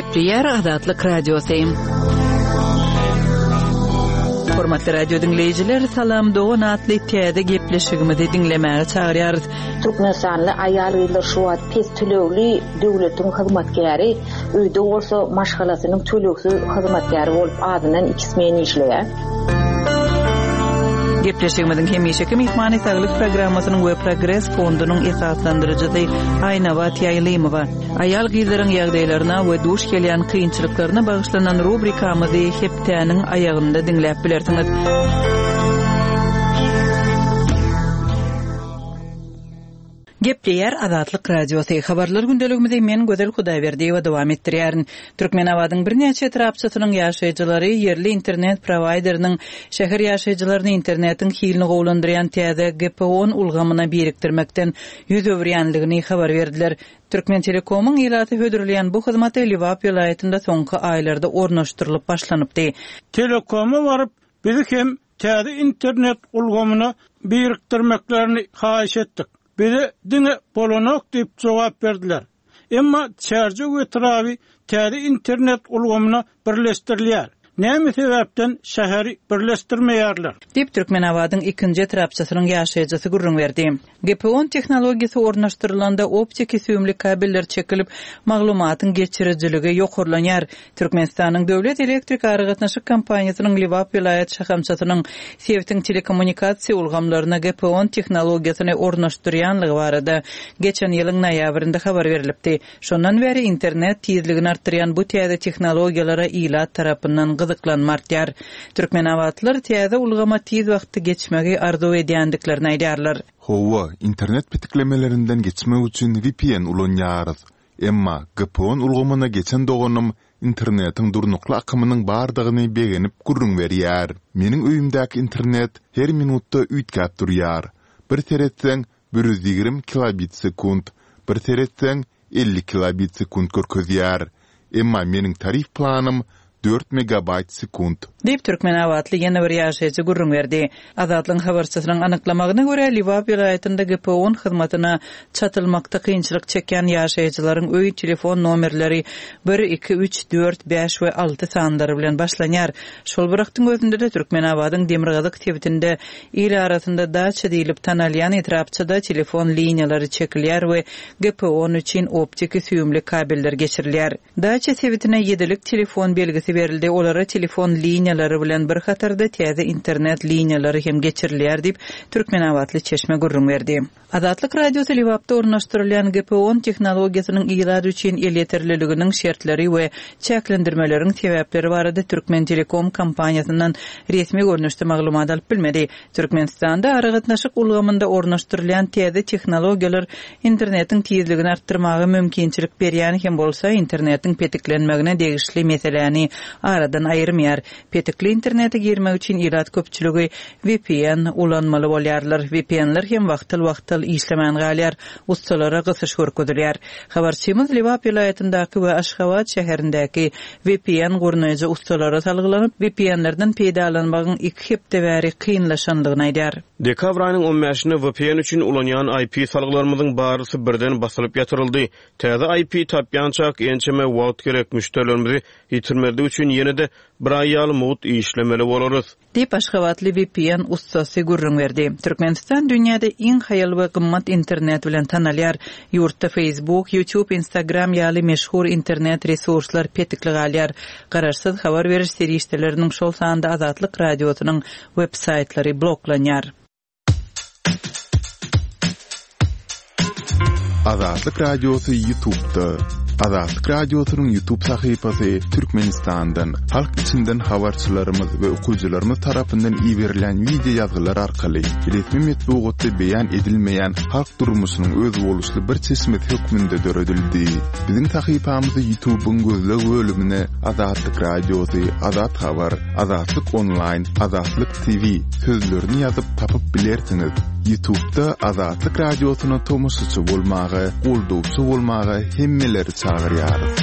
Gepleýär Azatlyk Radiosy. Hormatly radio diňleýjiler, Salam dogan atly täze gepleşigimizi diňlemäge çagyrýarys. Türkmenistanly aýal-gyzlar şu wagt pes tölegli döwletiň hyzmatkäri, öýde bolsa maşgalasynyň tölegsiz hyzmatkäri bolup azyndan iki smen işleýär. Gepleşigimiziň hemişeki myhmany Saglyk programmasynyň we Progres fondunyň esaslandyryjysy Aýnabat Ýaýlymowa. Aýal-gyzlaryň ýagdaýlaryna we duş gelýän kynçylyklaryna bagyşlanan rubrikamyzy hepdäniň aýagynda diňläp bilersiňiz. Gepleýär Azatlyk Radiosy. Habarlar gündeligimizi men Gözel Hudaýberdiýewa dowam etdirýärin. Türkmenabadyň birnäçe etrapçasynyň ýaşaýjylary ýerli internet prowaýderiniň şäher ýaşaýjylaryny internetiň hilini gowulandyrýan täze GPON ulgamyna birikdirmekden ýüz öwürýänligini habar berdiler. Türkmentelekomyň ilata hödürleýän bu hyzmaty Lebap welaýatynda soňky aýlarda ornaşdyrylyp başlanypdy. Telekoma baryp, bizi hem täze internet ulgamyna birikdirmeklerini haýyş etdik. Bize diňe bolanok diýip jogap berdiler. Emma Çärjew etraby täze internet ulgamyna birleşdirilýär. Näme sebäpden şäheri birleşdirmeýärler? Diýip, Türkmenabadyň ikinji etrapçasynyň ýaşaýjysy gürrüň berdi. GPON tehnologiýasy ornaşdyrylanda optiki süýümli kabeller çekilip, maglumatyň geçirijiligi ýokarlanýar. Türkmenistanyň Döwlet elektrik aragatnaşyk kompaniýasynyň Lebap welaýat şahamçasynyň sebitiň telekommunikasiýa ulgamlaryna GPON tehnologiýasyny ornaşdyrýanlygy barada geçen ýylyň noýabrynda habar berlipdi. Şondan bäri internet tizligini artdyrýan bu täze tehnologiýalara ilat tarapyndan gyzyklanma artýar. Türkmenabatlylar täze ulgama tiz wagtda geçmegi arzuw edýändiklerini aýdýarlar. Hawa, internet petiklemelerinden geçmek üçin vpn ulanýarys. Emma GPON ulgamyna geçen doganym internetiň durnukly akymynyň bardygyny begenip gürrüň berýär. Meniň öýümdäki internet her minutda üýtgäp durýar. Bir seretseň, 120 kilobit sekunt, bir seretseň, 50 kilobit sekunt görkezýär. Emma meniň tarif planym dört megabaýt sekunt. Diýip, türkmenabatly ýene bir ýaşaýjy gürrüň berdi. Azatlygyň habarçysynyň anyklamagyna görä, Lebap welaýatynda GPON hyzmatyna çatylmakda kynçylyk çekýän ýaşaýjylaryň öý telefon nomerleri bir, iki, üç, dört, bäş we alty sanlary bilen başlanýar. Şol bir wagtyň özünde-de Türkmenabadyň demirgazyk sebitinde Il arasynda daça diýlip tanalýan etrapçada telefon liniýalary çekilýär we GPON üçin optiki süýümli kabeller geçirilýär. Daça sebitine ýedilik telefon belgisi berildi, olara telefon liniýalary bilen bir hatarda täze internet liniýalary hem geçirilýär diýip, türkmenabatly çeşme gürrüň berdi. Azatlyk Radiosy Lebapda ornaşdyrylýan GPON tehnologiýasynyň ilat üçin elýeterliliginiň şertleri we çäklendirmeleriň sebäpleri barada Türkmentelekom kompaniýasyndan resmi görnüşde maglumat alyp bilmedi. Türkmenistanda aragatnaşyk ulgamynda ornaşdyrylýan täze tehnologiýalar internetiň tizligini artdyrmaga mümkinçilik berýän hem bolsa, internetiň petiklenmegine degişli meseläni aradan aýyrmaýar. Petikli internete girmek üçin ilat köpçüligi vpn ulanmaly bolýarlar. VPN-ler hem wagtal-wagtal işlemän galýar, ussalara gysyş görkezilýär. Habarçymyz Lebap welaýatyndaky we Aşgabat şäherindäki vpn gurnaýjy ussalara salgylanyp, VPN-lerden peýdalanmagyň iki hepde bäri kynlaşandygyny aýdýar. Dekabr aýynyň on bäşinde vpn üçin ulanýan IP salgylarymyzyň barysy birden basylyp ýatyryldy. Täze IP tapýançak ençeme wagt gerek, müşderilerimizi Ýitirmezlik üçin ýene-de bir aý ýaly mugt işlemeli bolarys. Diýip, aşgabatly vpn ussasy gürrüň berdi. Türkmenistan dünýäde iň haýal we gymmat internet bilen tanalýar. Ýurtda Facebook, YouTube, Instagram ýaly meşhur internet resurslar petikli galýar. Garaşsyz habar beriş serişdeleriniň, şol sanda Azatlyk Radiosynyň web-saýtlary bloklanýar. Azatlyk Radiosy YouTube'da. Azatlyk Radiosynyň YouTube sahypasy Türkmenistandan, halk içinden habarçylarymyz we okyjylarymyz tarapyndan iberilen wideo ýazgylar arkaly resmi metbugatda beýan edilmeýän halk durmuşynyň özboluşly bir çeşmesi hökmünde döredildi. Biziň sahypamyzy YouTube'yň gözleg bölümine Azatlyk Radiosy, Azat Habar, Azatlyk Onlaýn, Azatlyk TV sözlerini ýazyp tapyp bilersiňiz. Ýutubda Azatlyk Radiosyna tomaşaçy bolmaga, goldawçy bolmaga hemmeleri çagyrýarys.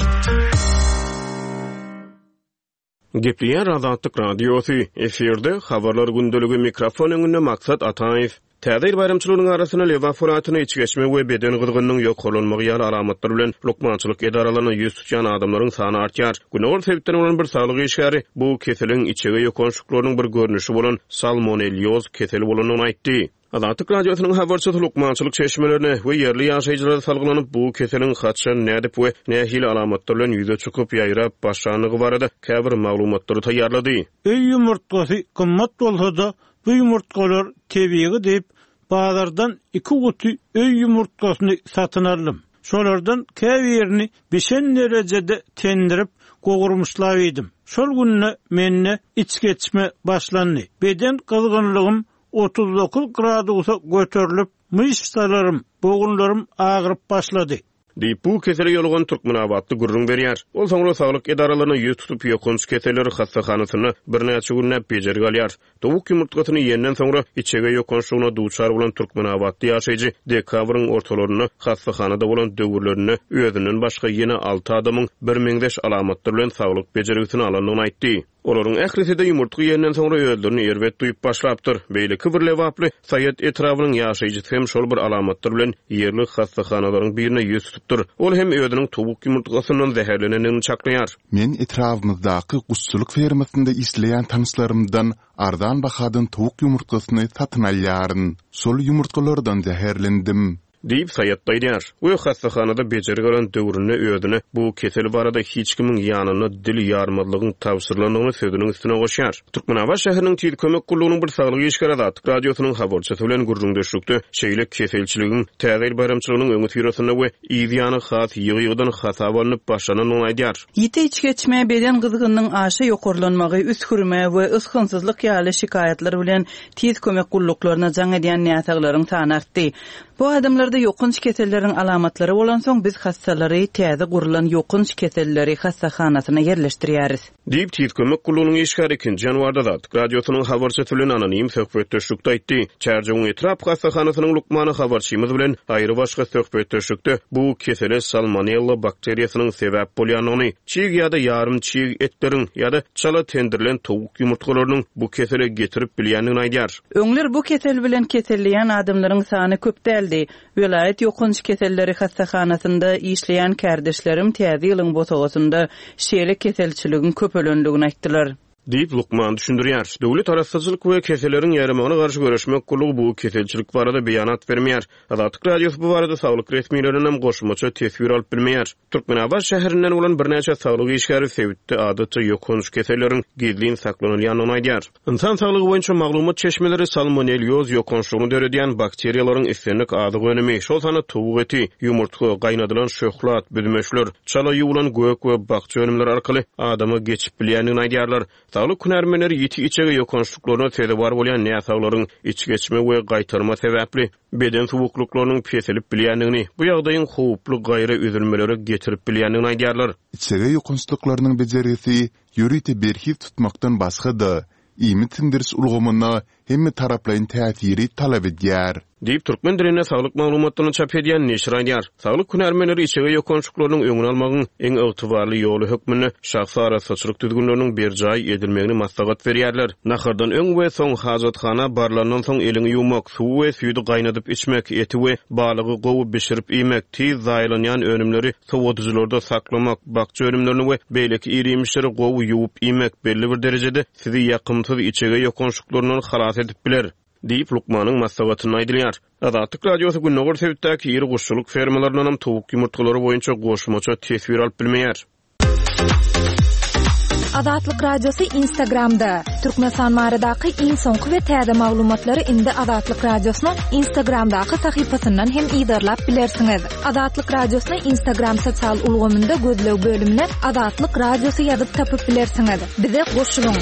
Gepleýär Azatlyk Radiosy, efirde Habarlar gündeligi mikrofon öňünde Maksat Ataýew. Täze ýyl baýramçylygynyň arasynda Lebap welaýatynda içgeçme we beden gyzgynynyň ýokarlanmagy ýaly alamatlar bilen lukmançylyk edaralaryna ýüz tutýan adamlaryň sany artýar. Gündogar sebitden bolan bir saglyk işgäri bu keseliň içege ýokançlyklarynyň bir görnüşi bolan salmonellýoz keseli bolandygyny aýtdy. Azatlyk Radiosynyň habarçysy lukmançylyk çeşmelerine we ýerli ýaşaýjylara salgylanyp, bu keseliň haçan, nädip we nähili alamatlar bilen ýüze çykyp, ýaýrap başlandygy barada käbir maglumatlary taýýarlady. Öý ýumurtgasy gymmat bolsa-da, Bu ýumurtgalar tebigy diýip, bazardan iki guty öý ýumurtgasyny satyn aldym. Şolardan käbirini bişen derejede tendirip, gowurmyşlap iýdim. Şol günde mende içgeçme başlandy. Beden gyzgynlygym 39 gradusa göterilip, myşsalarym, bogunlarym agyryp başlady. Diýip, bu kesele ýolugan türkmenabatly gürrüň berýär. Ol soňra saglyk edaralaryna ýüz tutup, ýokanç keseller hassahanasynda birnäçe günläp bejergi alýar. Towuk ýumurtgasyny iýenden soňra içege ýokançlygyna duçar bolan türkmenabatly ýaşaýjy dekabryň ortalarynda hassahanada bolan döwürlerinde özünden başga ýene alty adamyň birmeňzeş alamatlar bilen saglyk bejergisini alandygyny aýtdy. Olaryň ählisi-de ýumurtga iýenden soňra özlerini erbet duýup başlapdyr. Beýleki bir lebaply, Saýat etrabynyň ýaşaýjysy hem şol bir alamatlar bilen ýerli hassahanalaryň birine ýüz tutupdyr. Ol hem özüniň towuk ýumurtgasyndan zäherlenendigini çaklaýar. Men etrabymyzdaky guşçulyk fermasynda işleýän tanyşlarymdan arzan bahadan towuk ýumurtgasyny satyn alýaryn. Şol ýumurtgalardan zäherlendim. Diýip, Saýat aýdýar we hassahanada bejergi alan döwründe özüne bu kesel barada hiç kimiň ýanynda dil ýarmazlygyň tabşyrylandygyny sözüniň üstüne goşýar. Türkmenabat şäheriniň Tiz kömek gullugynyň bir saglyk işgäri Azatlyk Radiosynyň habarçysy bilen gürrüňdeşlikde şeýle keselçiligiň Täze ýyl baýramçylygynyň öňüsyrasynda we yz ýany has ýygy-ýygydan hasaba alnyp başlanandygyny aýdýar. Ýiti içgeçme, beden gyzgynynyň aşa ýokarlanmagy, üsgürme we ysgynsyzlyk ýaly şikaýatlar bilen Tiz kömek gulluklaryna jaň edýän näsaglaryň sany artdy. Bu adamlarda ýokanç keselleriň alamatlary bolansoň, biz hassalary täze gurlan ýokanç keselleri hassahanasyna ýerleşdirýäris. Diýip, Tiz kömek gullugynyň işgäri ikinji ýanwarda Azatlyk Radiosynyň habarçysy bilen anonim söhbetdeşlikde aýtdy. Çärjewiň etrap hassahanasynyň lukmany habarçymyz bilen aýrybaşga söhbetdeşlikde bu kesele salmonella bakteriýasynyň sebäp bolýandygyny, Çig ýa-da ýarym çig etleriň ýa-da çala tendirilen towuk ýumurtgalarynyň bu kesele getirip bilýändigini aýdýar. Öňler bu kesel bilen keselleýän adamlaryň sany köp däldi. Welaýat ýokanç keselleri hassahanasynda işleýän kärdeşlerim täze ýylyň bosagasynda şeýle keselçiligiň köpelendigini aýtdylar. Diýip, lukman düşündirýär. Döwlet arassaçylyk we keselleriň ýaýramagyna garşy göreşmek gullugy bu keselçilik barada beýanat bermeýär. Azatlyk Radiosy bu barada saglyk resmilerindenem goşmaça teswir alyp bilmeýär. Türkmenabat şäherinden bolan birnäçe saglyk işgäri sebitde adatça ýokanç keselleriň gizlin saklanylýandygyny aýdýar. Ynsan saglygy boýunça maglumat çeşmeleri salmonellýoz ýokançlygyny döredýän bakteriýalaryň islendik azyk önümi, şol sanda towuk eti, ýumurtga, gaýnadylan şöhlat, büzmeçler, çala ýuwlan gök we bakja önümleri arkaly adama geçip bilýändigini aýdýarlar. Saglyk hünärmenleri ýiti içege ýokançlyklaryna sezewar bolýan näsaglaryň içgeçme we gaýtarma sebäpli beden suwuklyklarynyň peselip bilýändigini, bu ýagdaýyň howply gaýra üzülmelere getirip bilýändigini aýdýarlar. Içege ýokançlyklarynyň bejergisi ýörite berhiz tutmakdan başga-da, iýmit siňdiriş ulgamyna hemmetaraplaýyn täsiri talap edýär. Diýip, türkmen dilinde saglyk maglumatlaryny çap edýän neşir aýdýar. Saglyk hünärmenleri içege ýokançlyklarynyň öňüni almagyň iň ygtybarly ýoly hökmünde şahsy arassaçylyk düzgünleriniň berjaý edilmegini maslahat berýärler. Nahardan öň we soň, hajathana barlandan soň eliňi ýuwmak, suwy we süýdi gaýnadyp içmek, eti we balygy gowy bişirip iýmek, tiz zaýalanýan önümleri sowadyjylarda saklamak, bakja önümlerini we beýleki ir-iýmişleri gowy ýuwup iýmek belli bir derejede sizi ýakymsyz içege ýokançlyklaryndan halas edip biler, diýip, lukmanyň maslahatynda aýdylýar. Azatlyk Radiosy gündogar sebitdäki iri guşçulyk fermalaryndanam towuk ýumurtgalary boýunça goşmaça teswir alyp bilmeýär. Azatlyk Radiosy Instagramda, Türkmenistan baradaky iň soňky we täze maglumatlary indi Azatlyk Radiosynyň Instagramdaky sahypasyndan hem yzarlap bilersiňiz. Azatlyk Radiosyny Instagram sosial ulgamynda gözleg bölümine Azatlyk Radiosy ýazyp tapyp bilersiňiz. Bize goşulyň!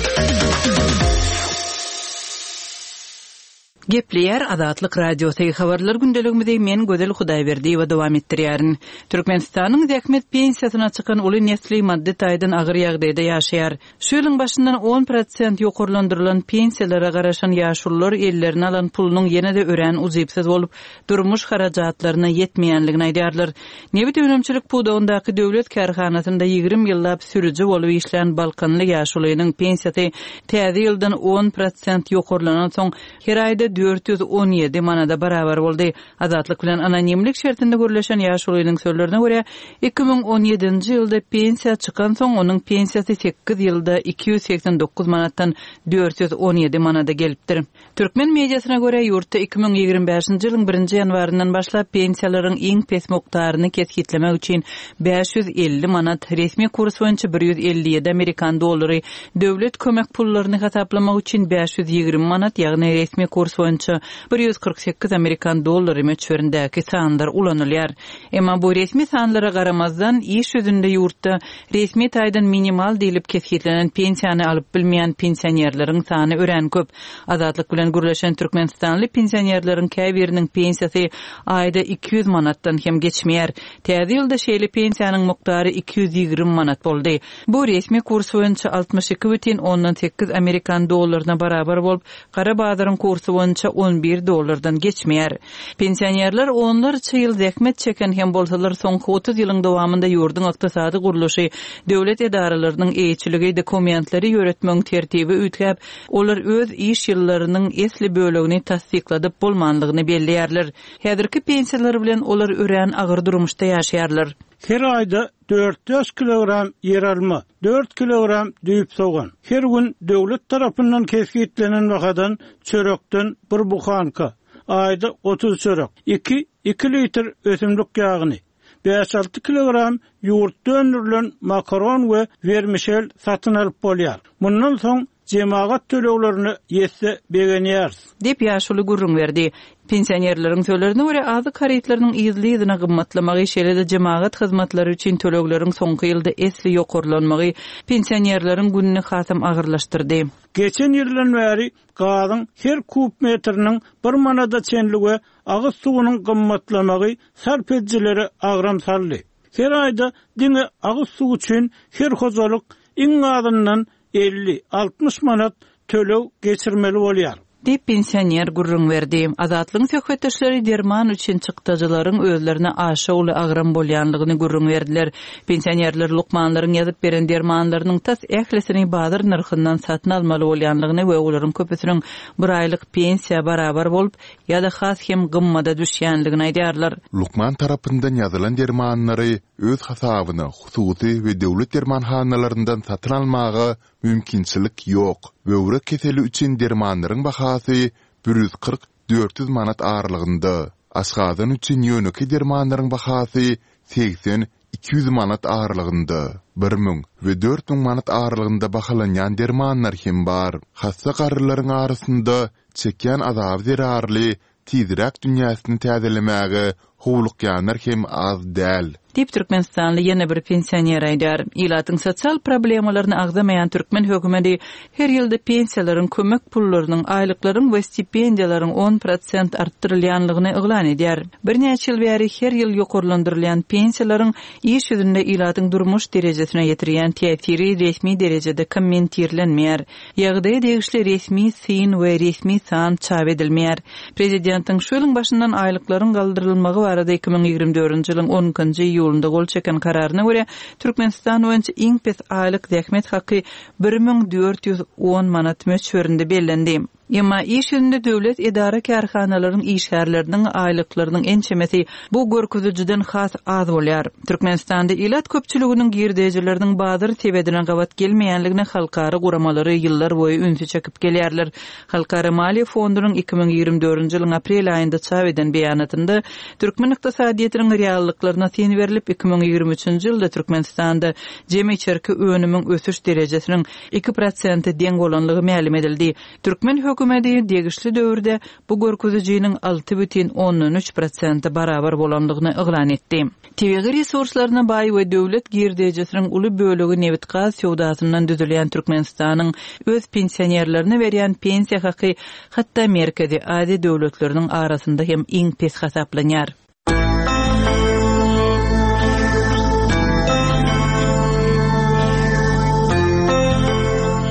Gepleýär Azatlyk Radiosy, Habarlar gündeligimizi men Gözel Hudaýberdiýewa dowam etdirýärin. Türkmenistanyň zähmet pensiýasyna çykan uly nesli maddy taýdan agyr ýagdaýda ýaşaýar. Şu ýylyň başyndan on prosent ýokarlandyrylan pensiýalara garaşan ýaşulular ellerine alan pulunyň ýene-de örän ujypsyz bolup, durmuş harajatlaryna ýetmeýänligini aýdýarlar. Nebit önümçilik pudagyndaky döwlet kärhanasynda 20 ýyllap sürüji bolup işlän balkanly ýaşulynyň pensiýasy täze ýyldan on prosent ýokarlanansoň, her aýda. 417 manada barabar boldy. Azatlyk bilen anonimlik şertinde gürleşen ýaşulynyň sözlerine görä, 2017-nji ýylda pensiýa çykansoň, onuň pensiýasy sekiz ýylda 289 manatdan 417 manada gelipdir. Türkmen mediasyna görä, ýurtda 2025-nji ýylyň birinji ýanwaryndan başlap pensiýalaryň iň pes mukdaryny kesgitlemek üçin 550 manat, resmi kurs boýunça 157 amerikan dollary, döwlet kömek pullaryny hasaplamak üçin 520 manat, ýagny resmi kurs boýunça 148 amerikan dollary möçberindäki sanlar ulanylýar. Emma bu resmi sanlara garamazdan, iş ýüzünde ýurtda resmi taýdan minimal diýlip kesgitlenen pensiýany alyp bilmeýän pensionerleriň sany örän köp. Azatlyk bilen gürleşen türkmenistanly pensionerleriň käbiriniň pensiýasy aýda 200 manatdan hem geçmeýär. Täze ýylda şeýle pensiýanyň mukdary 220 manat boldy. Bu resmi kurs boýunça 62,8 amerikan dollaryna barabar bolup, gara bazaryň kursy boýunça 11 dollardan geçmeýär. Pensionerler onlarça ýyl zähmet çeken hem bolsalar, soňky 30 ýylyň dowamynda ýurduň ykdysady gurluşy, döwlet edaralarynyň eýeçiligi, dokumentleri ýöretmegiň tertibi üýtgäp, Olar öz iş ýyllarynyň esli bölegini tassykladyp bolmanlygyny belleýärler. Häzirki pensiýalary bilen olar örän agyr durmuşda ýaşaýarlar. Her aýda dört-bäş kilogram ýeralma, dört kilogram düýp sogan, her gün döwlet tarapyndan kesgitlenen bahadan çörekden bir buhanka, aýda 30 çörek, iki iki litr ösümlik ýagyny, bäş-alty kilogram ýurtda öndürilen makaron we wermişel satyn alyp bolýar. Mundan soň jemagat töleglerine ýetse begenýäris. Diýip, ýaşuly gürrüň berdi. Pensionerleriň sözlerine görä, azyk harytlarynyň yzly-yzyna gymmatlamagy, şeýle-de jemagat hyzmatlary üçin tölegleriň soňky ýylda esli ýokarlanmagy pensionerleriň gününi hasam agyrlaşdyrdy. Geçen ýyldan bäri gazyň her kub metriniň bir manada çenli we agyz suwunyň gymmatlamagy sarp edijilere agram saldy. Her aýda diňe agyz suwy üçin her hojalyk iň azyndan 50, 60 manat töleg geçirmeli bolýar. Diýip, pensioner gürrüň berdi. Azatlygyň söhbetdeşleri derman üçin çykdajylaryň özlerine aşa uly agram bolýanlygyny gürrüň berdiler. Pensionerler lukmanlaryň ýazyp beren dermanlarynyň tas ählisini bazar nyrhyndan satyn almaly bolýanlygyny we olaryň köpüsiniň bir aýlyk pensiýa barabar bolup, ýa-da has hem gymmada düşýänligini aýdýarlar. Lukman tarapyndan ýazylan dermanlary öz hasabyna hususy we döwlet dermanhanalaryndan satyn almaga mümkinçilik ýok. Böwrek keseli üçin dermanlaryň bahasy 140, 400 manat aralygynda. Aşgazan üçin ýönekeý dermanlaryň bahasy 80, 200 manat aralygynda, 1000 we 4000 manat aralygynda bahalanýan dermanlar hem bar. Hassa garrylaryň arasynda çekýän azaby zerarly tizräk dünýäsini täzelemäge howlukýanlar hem az däl. Diýip, türkmenistanly ýene bir pensioner aýdýar. Ilatyň sosial problemalaryny agzamaýan türkmen hökümeti her ýylda pensiýalaryň, kömek pullarynyň, aýlyklaryň we stipendiýalaryň on prosent artdyrylýanlygyny yglan edýär. Birnäçe ýyl bäri her ýyl ýokarlandyrylýan pensiýalaryň iş ýüzünde ilatyň durmuş derejesine ýetirýän täsiri resmi derejede kommentirlenmeýär. Ýagdaýa degişli resmi syn we resmi san çap edilmeýär. Prezidentiň şu ýylyň başyndan aýlyklaryň galdyrylmagy barada 2024-nji ýylyň on ikinji iýulynda gol çeken kararyna görä, Türkmenistan boýunça iň pes aýlyk zähmet haky 1410 manat möçberinde bellendi. Emma iş ýüzünde döwlet edara-kärhanalaryň işgärleriniň aýlyklarynyň ençemesi bu görkezijiden has az bolýar. Türkmenistanda ilat köpçüliginiň girdejileriniň bazar sebedine gabat gelmeýänligine halkara guramalary ýyllarboýy ünsi çekip gelýärler. Halkara maliýe fondunyň 2024-nji ýylyň aprel aýynda çap eden beýanatynda türkmen ykdysadyýetiniň reallyklaryna syn berlip, 2023-nji ýylda Türkmenistanda jemi içerki önümiň ösüş derejesiniň iki prosente deň bolanlygy mälim edildi. Türkmen hökümeti degişli döwürde bu görkezijiniň 6,3 prosente barabar bolandygyny yglan etdi. Tebigy resurslaryna baý we döwlet girdejisiniň uly bölegi nebit-gaz söwdasyndan düzülýän Türkmenistanyň öz pensionerlerine berýän pensiýa haky hatda Merkezi Aziýa döwletleriniň arasynda hem iň pes hasaplanýar.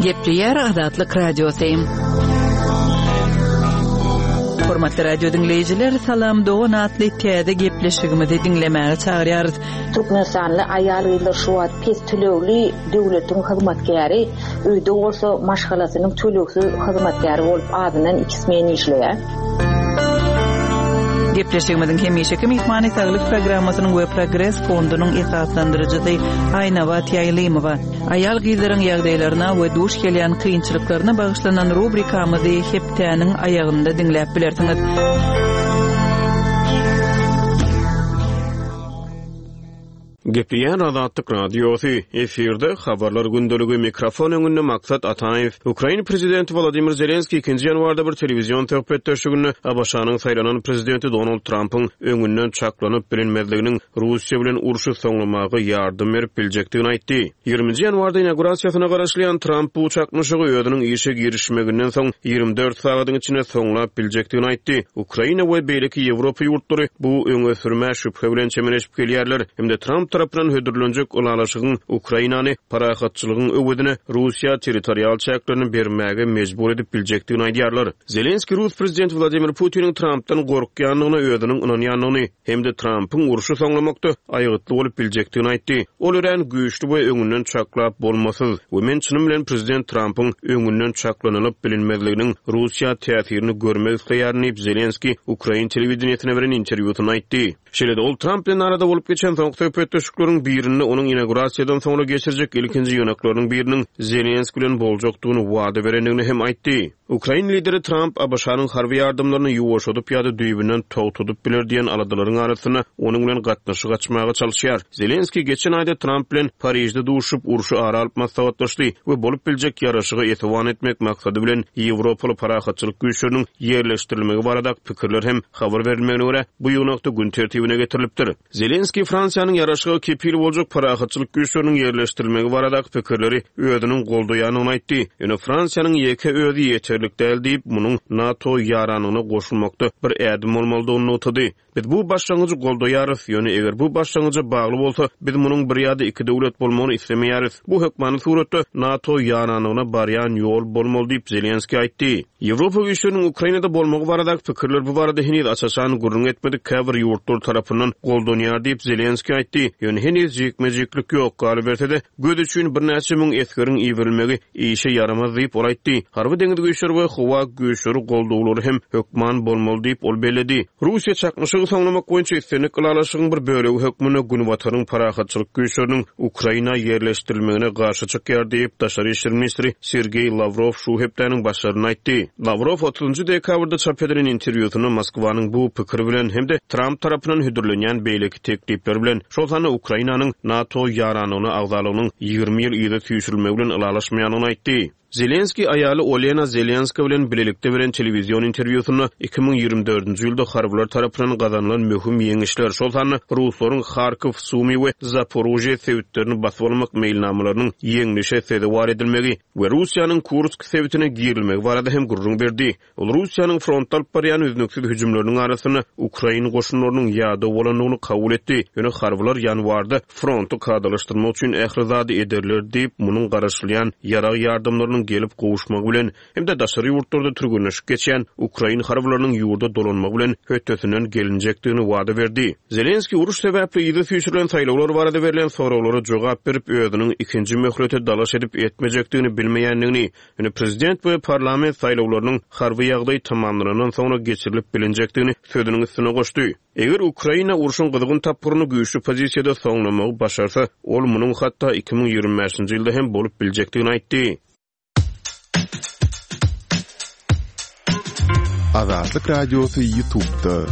Gepleýär Azatlyk Radiosy. Hormatly radio diňleýjiler, Salam dogan atly täze gepleşigimizi diňlemäge çagyrýarys. Türkmenistanly aýal-gyzlar şu wagt pes tölegli döwletiň hyzmatkäri, öýde bolsa maşgalasynyň tölegsiz hyzmatkäri bolup azyndan iki smen işleýär. Gepleşigimiziň hemişeki myhmany Saglyk programmasynyň we Progres fondunyň esaslandyryjysy Aýnabat Ýaýlymowa. Aýal-gyzlaryň ýagdaýlaryna we duş gelýän kynçylyklaryna bagyşlanan rubrikamyzy hepdäniň aýagynda diňläp bilersiňiz. Gepleýär Azatlyk Radiosy, efirde Habarlar gündeligi, mikrofon öňünde Maksat Ataýew. Ukraina prezidenti Wolodymyr Zelenskiý ikinji ýanwarda bir telewizion söhbetdeşliginde ABŞ-nyň saýlanan prezidenti Donald Trampyň öňünden çaklanyp bilinmezliginiň Russiýa bilen urşy soňlamaga ýardam berip biljekdigini aýtdy. Ýigriminji ýanwarda inaugurasiýasyna garaşylýan Tramp bu çaknyşygy özüniň işe girişmeginden soň 24 sagadyň içinde soňlap biljekdigini aýtdy. Ukraina we beýleki Ýewropa ýurtlary bu öňe sürmä şübhe bilen çemeleşip gelýärler hem-de Tramp tarapyndan hödürlenjek ylalaşygyň Ukrainany parahatçylygyň öwezine Russiýa territorial çäklerini bermäge mejbur edip biljekdigini aýdýarlar. Zelenskiý rus prezidenti Wladimir Putiniň Trampdan gorkýandygyna özüniň ynanýandygyny, hem-de Trampyň urşy soňlamakda aýgytly bolup biljekdigini aýtdy. Ol örän güýçli we öňünden çaklap bolmasyz we men çynym bilen prezident Trampyň öňünden çaklanylyp bilinmezliginiň Russiýa täsirini görmek isleýärin diýip, Zelenskiý ukrain telewideniýesine beren interwýusynda aýtdy. Şeýle-de ol Tramp bilen arada bolup geçen soňky söhbetdeşlikleriň birinde onuň inaugurasiýadan soňra geçirjek ilkinji ýygnaklarynyň biriniň Zelenskiý bilen boljakdygyny wada berendigini hem aýtdy. Ukrain lideri Tramp ABŞ-nyň harby ýardamlaryny ýuwaşadyp ýa-da düýbünden togtadyp biler diýen aladalaryň arasynda onuň bilen gatnaşyk açmaga çalyşýar. Zelenskiý geçen aýda Tramp bilen Parižde duşuşyp, urşy ara alyp maslahatlaşdy we bolup biljek ýaraşyga esewan etmek maksady bilen ýewropaly parahatçylyk güýçleriniň ýerleşdirilmegi baradaky pikirler hem habar berilmegine görä, bu ýygnakda gün tertibine getirilipdir. Zelenskiý Fransiýanyň ýaraşyga kepil boljak parahatçylyk güýçleriniň ýerleşdirilmegi baradaky pikirleri özüniň goldaýandygyny aýtdy. Ýöne Fransiýanyň ýeke özi ýeterlik däl diýip, munuň NATO ýaranlygyna goşulmakda bir ädim bolmalydygyny nygtady. Biz bu başlangyjy goldaýarys, ýöne eger bu başlangyja bagly bolsa, biz munuň bir ýa-da iki döwlet bolmagyny islemeýäris. Bu hökmany suratda NATO ýaranlygyna barýan ýol bolmaly diýip, Zelenskiý aýtdy. Ýewropa güýçleriniň Ukrainada bolmagy baradaky pikirler bu barada heniz aç-açan gürrüň etmedik käbir ýurtlar tarapyndan goldanýar diýip, Zelenskiý aýtdy. Ýöne heniz jikme-jiklik ýok, galyberse-de, göz üçin birnäçe müň esgeriň iberilmegi işe ýaramaz diýip, ol aýtdy. Harby-deňiz güýçleri we howa güýçleri goldawlary hem hökman bolmaly diýip, ol belledi. Russiýa çaknyşygy soňlamak boýunça islendik ylalaşygyň bir bölegi hökmünde Günbataryň parahatçylyk güýçleriniň Ukraina ýerleşdirilmegine garşy çykýar diýip, daşary işler ministri Sergeý Lawrow şu hepdäniň başlarynda aýtdy. Lawrow otuzynjy dekabrda çap edilen interwýusynda Moskwanyň bu pikiri bilen hem-de Tramp tarapyndan hödürlenýän beýleki teklipler bilen, şol sanda Ukrainanyň NATO ýaranlygyna agzalygynyň 20 ýyl yza süýşürilmegi bilen ylalaşmaýandygyny aýtdy. Zelenskiý aýaly Olena Zelenska bilen bilelikde beren telewizion interwýusynda 2024-nji ýylda harbylar tarapyndan gazanylan möhüm ýeňişler, şol sanda ruslaryň Harkow, Sumy we Zaporožýe sebitlerini basyp almak meýilnamalarynyň ýeňlişe sezewar edilmegi we Russiýanyň Kursk sebitine girilmegi barada hem gürrüň berdi. Ol Russiýanyň frontda alyp barýan üznüksiz hüjümleriniň arasynda ukrain goşunlarynyň ýadaw bolandygyny kabul etdi, ýöne harbylar ýanwarda fronty kadalaşdyrmak üçin ähli zady ederler diýip, munuň garaşylýan ýarag ýardamlarynyň gelip gowuşmagy bilen hem-de daşary ýurtlarda türgenleşik geçýän ukrain harbylarynyň ýurda dolanmagy bilen hötdesinden gelinjekdigini wada berdi. Zelenskiý uruş sebäpli yza süýşürilen saýlawlar barada berlen soraglara jogap berip, özüniň ikinji möhlete dalaş edip-etmejekdigini bilmeýändigini, Ýöne prezident we parlament saýlawlarynyň harby ýagdaý tamamlanandan soňra geçirilip bilinjekdigini sözüniň üstüne goşdy. Eger Ukraina urşuň gyzgyn tapgyryny güýçli pozisiýada soňlamagy başarsa, ol munuň hatda 2025-nji ýylda hem bolup biljekdigini aýtdy. Azatlyk Radiosy YouTube'da.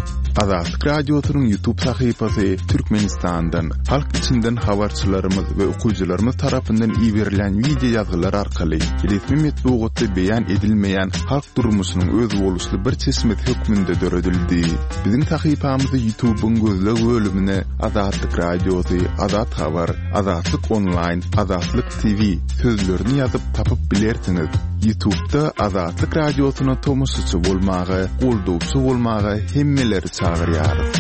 Azatlyk Radiosynyň YouTube sahypasy Türkmenistandan, halk içinden habarçylarymyz we okyjylarymyz tarapyndan iberilen wideo ýazgylar arkaly resmi metbugatda beýan edilmeýän halk durmuşynyň özboluşly bir çeşmesi hökmünde döredildi. Biziň sahypamyzy YouTube'yň gözleg bölümine Azatlyk Radiosy, Azat Habar, Azatlyk Onlaýn, Azatlyk TV sözlerini ýazyp tapyp bilersiňiz. Ýutubda Azatlyk Radiosyna tomaşaçy bolmaga, goldawçy bolmaga hemmeleri çagyrýarys.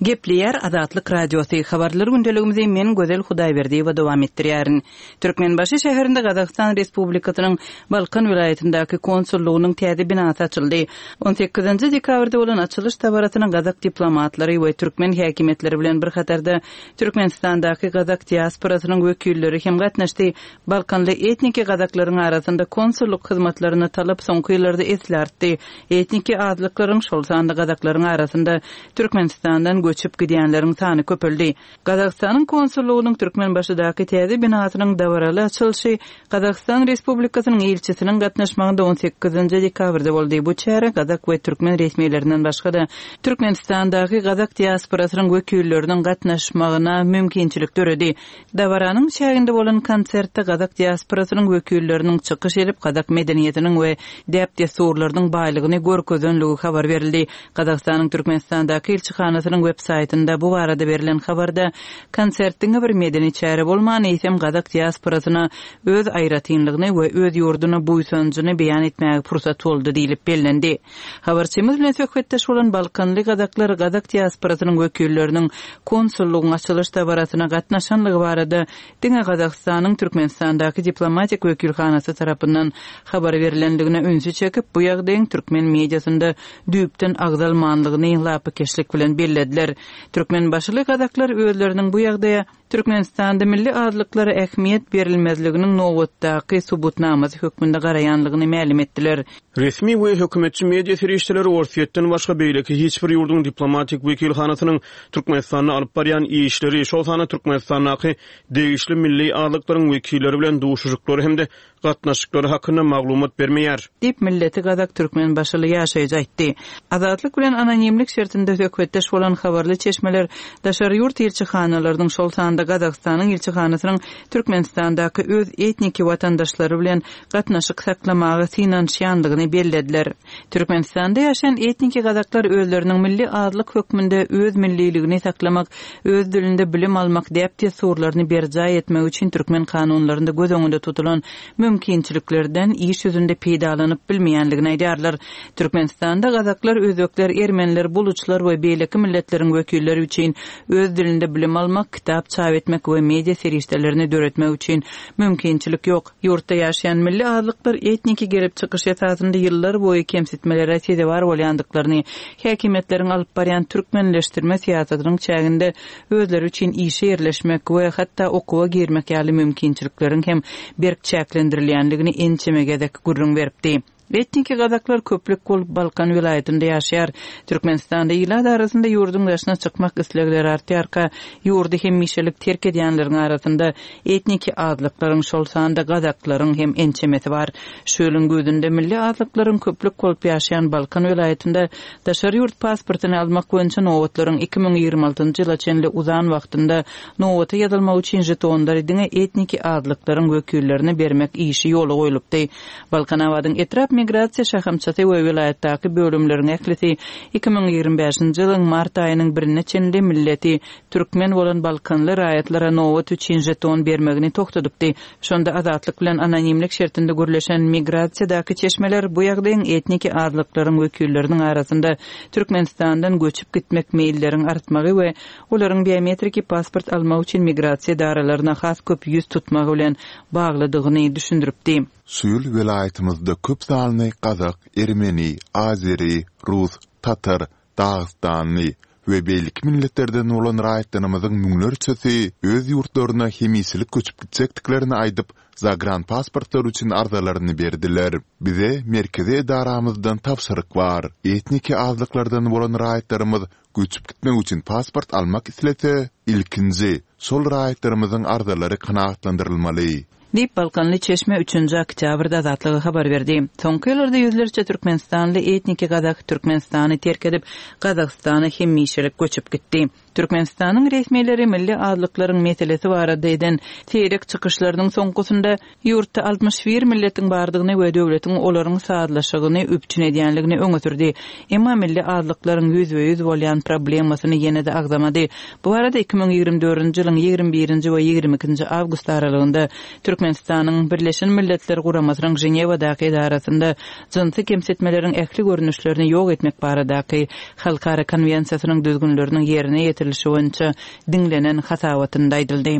Gepleýär Azatlyk Radiosy, Habarlar gündeligimizi men Gözel Hudaýberdiýewa dowam etdirýärin. Türkmenbaşy şäherinde Gazagystan Respublikasynyň Balkan welaýatyndaky konsullygynyň täze binasy açyldy. On sekizinji dekabrda bolan açylyş dabarasyna gazak diplomatlary we türkmen häkimiýetleri bilen bir hatarda Türkmenistandaky gazak diasporasynyň wekilleri hem gatnaşdy. Balkanly etniki gazaklaryň arasynda konsullyk hyzmatlaryna talap soňky ýyllarda esli artdy. Etniki azlyklaryň, şol sanda gazaklaryň arasynda Türkmenistandan göçüp gidýänleriň sany köpeldi. Gazagystanyň konsullygynyň Türkmenbaşydaky täze binasynyň dabaraly açylyşy Gazagystan Respublikasynyň ilçisiniň gatnaşmagynda on sekizinji dekabrda boldy. Bu çärä gazak we türkmen resmilerinden başga-da, Türkmenistandaky gazak diasporasynyň wekilleriniň gatnaşmagyna mümkinçilik döredi. Dabaranyň çäginde bolan konsertde gazak diasporasynyň wekilleriniň çykyş edip, gazak medeniýetiniň we däp-dessurlarynyň baýlygyny görkezenligi habar berildi. Gazagystanyň Türkmenistandaky ilçihanasynyň web saýtynda bu barada berlen habarda, konsert diňe bir medeni çäre bolman, eýsem gazak diasporasyna öz aýratynlygyny we öz ýurduna buýsanjyny beýan etmäge pursat boldy diýlip bellendi. Habarçymyz bilen söhbetdeş bolan balkanly gazaklar gazak diasporasynyň wekilleriniň konsullygyň açylyş dabarasyna gatnaşanlygy barada diňe Gazagystanyň Türkmenistandaky diplomatik wekilhanasy tarapyndan habar berlendigine ünsi çekip, bu ýagdaýyň türkmen mediasynda düýpden agzalmanlygyny lapykeçlik bilen bellediler. Türkmenbaşyly gazaklar özleriniň bu ýagdaýa Türkmenistanda milli azlyklara ähmiýet berilmezliginiň nobatdaky subutnamasy hökmünde garaýanlygyny mälim etdiler. Resmi we hökümetçi media serişdeleri Orsýetden başga beýleki hiç bir ýurduň diplomatik wekilhanasynyň Türkmenistanda alyp barýan işleri, şol sanda Türkmenistandaky degişli milli azlyklaryň wekilleri bilen duşuşyklary hem-de gatnaşyklary hakynda maglumat bermeýär. Diýip, milleti gazak türkmenbaşyly ýaşaýjy aýtdy. Azatlyk bilen anonimlik şertinde söhbetdeş bolan habarly çeşmeler daşary ýurt ilçihanalarynyň, şol sanda Gazagystanyň ilçihanasynyň Türkmenistandaky öz etniki watandaşlary bilen gatnaşyk saklamaga synanyşýandygyny bellediler. Türkmenistanda ýaşaýan etniki gazaklar özleriniň milli azlyk hökmünde öz milliligini saklamak, öz dilinde bilim almak däp-dessurlaryny berjaý etmek üçin türkmen kanunlarynda göz öňünde tutulan mümkinçiliklerden iş ýüzünde peýdalanyp bilmeýändigini aýdýarlar. Türkmenistanda gazaklar, özbekler, ermeniler, buluçlar we beýleki milletleriň wekilleri üçin öz dilinde bilim almak, kitap çap etmek we media serişdelerini döretmek üçin mümkinçilik ýok. Ýurtda ýaşaýan milli azlyklar etniki gelip çykyş esasynda ýyllar boýy kemsitmelere sezewar bolýandyklaryny, häkimiýetleriň alyp barýan türkmenleşdirme syýasatynyň çäginde özleri üçin işe ýerleşmek we hatda okuwa girmek ýaly mümkinçilikleriň hem berk çäklendirilýändigini ençeme gezek gürrüň beripdi. Etniki gazaklar köplük bolup Balkan welaýatynda ýaşaýar. Türkmenistanda ilat arasynda ýurduň daşyna çykmak islegleri artýarka, ýurdy hemişelik terk edýänleriň arasynda etniki azlyklaryň, şol sanda gazaklaryň hem ençemesi bar. Şu ýylyň güýzünde milli azlyklaryň köplük bolup ýaşaýan Balkan welaýatynda daşary ýurt pasportyny almak boýunça nobatlaryň 2026-njy ýyla çenli uzan wagtynda nobata ýazylmak üçin žetonlary diňe etniki azlyklaryň wekillerine bermek işi ýola goýlupdy. Balkanabadyň etrap migrasiýa şahamçasy we welaýatdaky bölümleriň ählisi 2025-nji ýylyň mart aýynyň birine çenli milleti türkmen bolan balkanly raýatlara nobat üçin žeton bermegini togtadypdy. Şonda Azatlyk bilen anonimlik şertinde gürleşen migrasiýadaky çeşmeler bu ýagdaýyň etniki azlyklaryň wekilleriniň arasynda Türkmenistandan göçüp gitmek meýilleriň artmagy we olaryň biometriki pasport almak üçin migrasiýa edaralaryna has köp ýüz tutmagy bilen baglydygyny düşündiripdi. Şu ýyl welaýatymyzda köp sanly gazak, ermeni, azeri, rus, tatar, dagystanly we beýleki milletlerden bolan raýatlarymyzyň müňlerçesi öz ýurtlaryna hemişelik göçüp gitjekdiklerini aýdyp, zagranpasportlar üçin arzalaryny berdiler. Bize merkezi edaramyzdan tabşyryk bar. Etniki azlyklardan bolan raýatlarymyz Göçüp gitmek üçin pasport almak islese, ilkinji şol raýatlarymyzyň arzalary kanagatlandyrylmaly. Diýip, balkanly çeşme üçünji oktýabrda Azatlyga habar berdi. Soňky ýyllarda ýüzlerçe türkmenistanly etniki gazak Türkmenistany terk edip, Gazagystana hemişelik göçüp gitdi. Türkmenistanyň resmileri milli azlyklaryň meselesi barada eden seýrek çykyşlarynyň soňkusynda ýurtda 61 milletiň bardygyny we döwletiň olaryň sazlaşygyny üpjün edýänligini öňe sürdi. Emma milli azlyklaryň ýüzbe-ýüz bolýan problemasyny ýene-de agzamady. Bu barada 2024-nji ýylyň 21-nji we 22-nji awgust aralygynda Türkmenistanyň Birleşen Milletler Guramasynyň Ženewadaky edarasynda jynsy kemsitmeleriň ähli görnüşlerini ýok etmek baradaky Halkara konwensiýasynyň düzgünleriniň ýerine ýetirilişi boýunça diňlenen hasabatynda aýdyldy.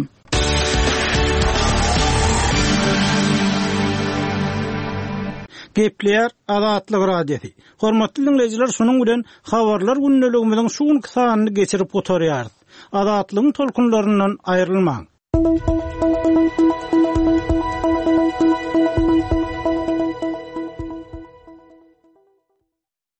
Gepleýär Azatlyk Radiosy. Hormatly diňleýjiler, şunuň bilen Habarlar gündeligimiziň şu günki sanyny geçirip gutarýarys. Azatlygyň tolkunlaryndan aýrylmaň!